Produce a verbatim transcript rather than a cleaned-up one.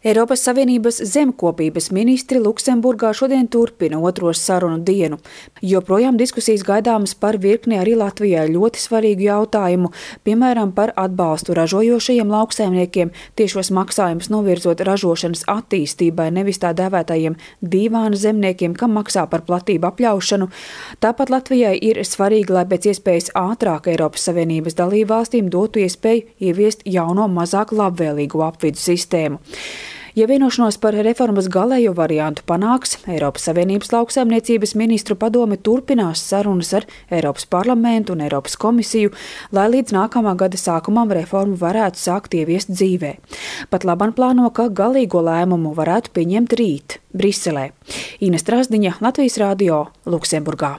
Eiropas Savienības zemkopības ministri Luksemburgā šodien turpina otro sarunu dienu. Joprojām diskusijas gaidāmas par virkni arī Latvijai ļoti svarīgu jautājumu, piemēram, par atbalstu ražojošajiem lauksaimniekiem, tiešos maksājumus novirzot ražošanas attīstībai, nevis tā dēvētajiem dīvāna zemniekiem, kam maksā par platību apļaušanu. Tāpat Latvijai ir svarīgi, lai pēc iespējas ātrāk Eiropas Savienības dalībvalstīm dotu iespēju ieviest jauno mazāk labvēlīgo apvidu sistēmu. Ja vienošanos par reformas galējo variantu panāks, Eiropas Savienības lauksaimniecības ministru padome turpinās sarunas ar Eiropas parlamentu un Eiropas komisiju, lai līdz nākamā gada sākumam reformu varētu sākt ieviest dzīvē. Pat labam plāno, ka galīgo lēmumu varētu pieņemt rīt Briselē. Ines Trasdiņa, Latvijas radio, Luksemburgā.